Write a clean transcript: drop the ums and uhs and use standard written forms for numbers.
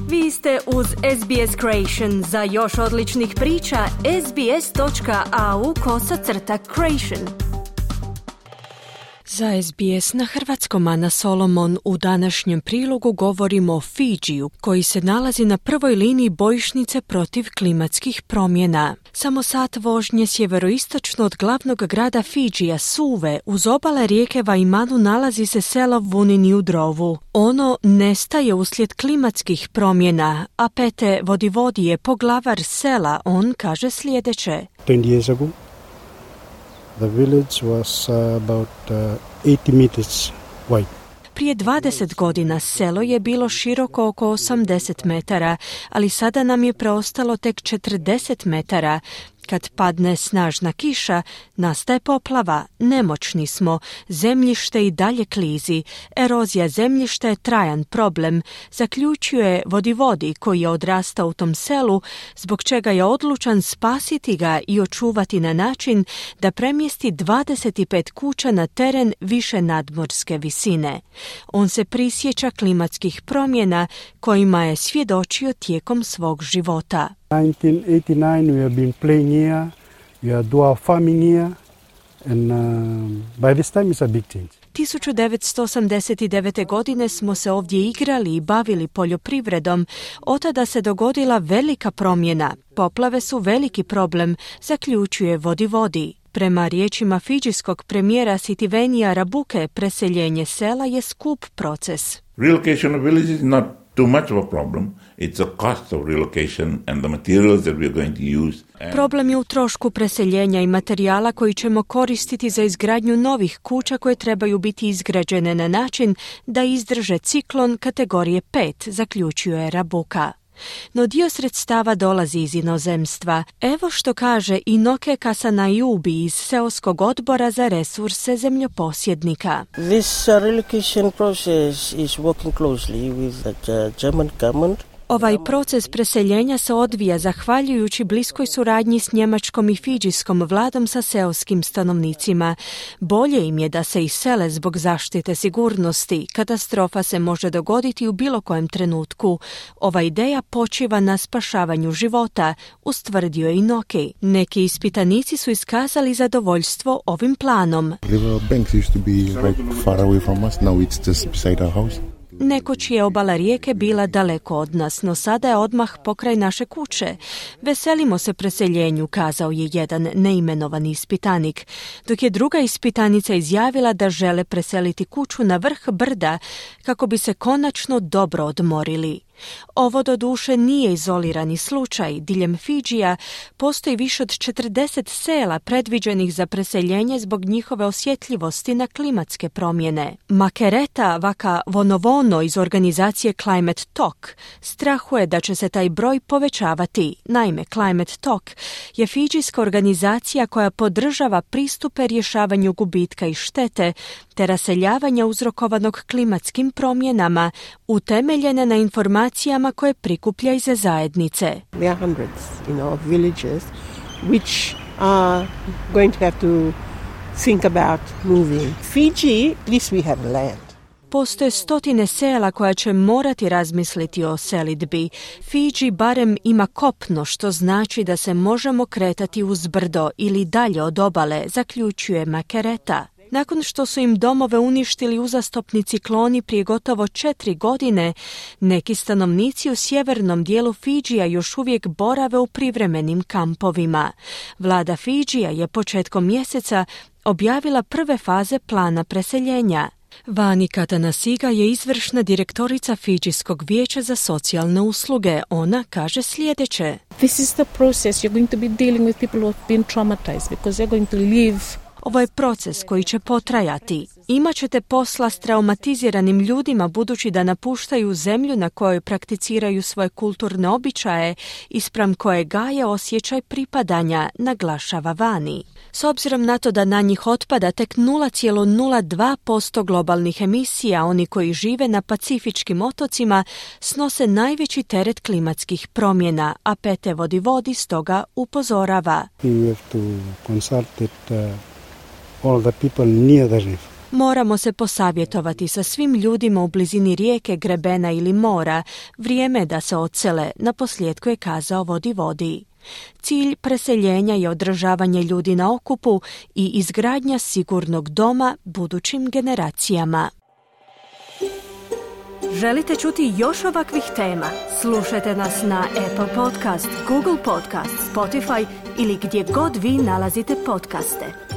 Vi ste uz SBS Creation. Za još odličnih priča, sbs.au/creation. Za SBS na hrvatskom Ana Solomon u današnjem prilogu govorimo o Fidžiju, koji se nalazi na prvoj liniji bojišnice protiv klimatskih promjena. Samo sat vožnje sjeveroistočno od glavnog grada Fidžija, Suve, uz obale rijeke Vaimanu nalazi se selo Vunini u Drovu. Ono nestaje uslijed klimatskih promjena, a Pete Vodivodi je poglavar sela. On kaže sljedeće. 20 years ago, the village was about 80 meters wide. Prije 20 godina selo je bilo široko oko 80 metara, ali sada nam je preostalo tek 40 metara. Kad padne snažna kiša, nastaje poplava, nemoćni smo, zemljište i dalje klizi, erozija zemljišta je trajan problem, zaključuje Vodivodi koji je odrastao u tom selu, zbog čega je odlučan spasiti ga i očuvati na način da premjesti 25 kuća na teren više nadmorske visine. On se prisjeća klimatskih promjena kojima je svjedočio tijekom svog života. 1989 we have been playing here, we are doing farming here, and by this time it's a big change. 1989. godine smo se ovdje igrali i bavili poljoprivredom. Od tada se dogodila velika promjena. Poplave su veliki problem, zaključuje Vodivodi. Prema riječima fidžijskog premijera Sitivenija Rabuke, preseljenje sela je skup proces. Relocation of villages is not too much of a problem. It's a cost of relocation and the materials that we are going to use. Problem je u trošku preseljenja i materijala koji ćemo koristiti za izgradnju novih kuća koje trebaju biti izgrađene na način da izdrže ciklon kategorije 5, zaključuje Rabuka. No dio sredstava dolazi iz inozemstva. Evo što kaže Inoke Kasanayubi iz seoskog odbora za resurse zemljoposjednika. This relocation process is working closely with the German government. Ovaj proces preseljenja se odvija zahvaljujući bliskoj suradnji s njemačkom i fidžijskom vladom sa seoskim stanovnicima. Bolje im je da se isele zbog zaštite sigurnosti. Katastrofa se može dogoditi u bilo kojem trenutku. Ova ideja počiva na spašavanju života, ustvrdio je Inoki. Neki ispitanici su iskazali zadovoljstvo ovim planom. River banks used to be right far away from us, now it's just beside our house. Nekoć je obala rijeke bila daleko od nas, no sada je odmah pokraj naše kuće. Veselimo se preseljenju, kazao je jedan neimenovani ispitanik, dok je druga ispitanica izjavila da žele preseliti kuću na vrh brda kako bi se konačno dobro odmorili. Ovo doduše nije izolirani slučaj. Diljem Fidžija postoji više od 40 sela predviđenih za preseljenje zbog njihove osjetljivosti na klimatske promjene. Makereta Vaka Vonovono iz organizacije Climate Talk strahuje da će se taj broj povećavati. Naime, Climate Talk je fidžijska organizacija koja podržava pristupe rješavanju gubitka i štete te raseljavanja uzrokovanog klimatskim promjenama, utemeljene na informacijama koje prikuplja iz zajednice. There are hundreds, of villages which are going to have to think about moving. Fiji, at least we have land. Postoje stotine sela koja će morati razmisliti o selidbi. Fidži barem ima kopno, što znači da se možemo kretati uz brdo ili dalje od obale, zaključuje Makereta. Nakon što su im domove uništili uzastopni cikloni prije gotovo 4 godine, neki stanovnici u sjevernom dijelu Fidžija još uvijek borave u privremenim kampovima. Vlada Fidžija je početkom mjeseca objavila prve faze plana preseljenja. Vani Katanasiga je izvršna direktorica Fidžijskog vijeća za socijalne usluge. Ona kaže sljedeće. This is the process you're going to be dealing with people who have been traumatized because they're going to live. Ovo je proces koji će potrajati. Imaćete posla s traumatiziranim ljudima budući da napuštaju zemlju na kojoj prakticiraju svoje kulturne običaje i spram koje gaje osjećaj pripadanja, naglašava Vani. S obzirom na to da na njih otpada tek 0,02% globalnih emisija, oni koji žive na pacifičkim otocima snose najveći teret klimatskih promjena, a Pete Vodivodi stoga upozorava. We have to consult all the people near the reef. Moramo se posavjetovati sa svim ljudima u blizini rijeke, grebena ili mora. Vrijeme je da se odsele, naposljetku je kazao Vodi. Cilj preseljenja je održavanje ljudi na okupu i izgradnja sigurnog doma budućim generacijama. Želite čuti još ovakvih tema? Slušajte nas na Apple Podcast, Google Podcast, Spotify ili gdje god vi nalazite podcaste.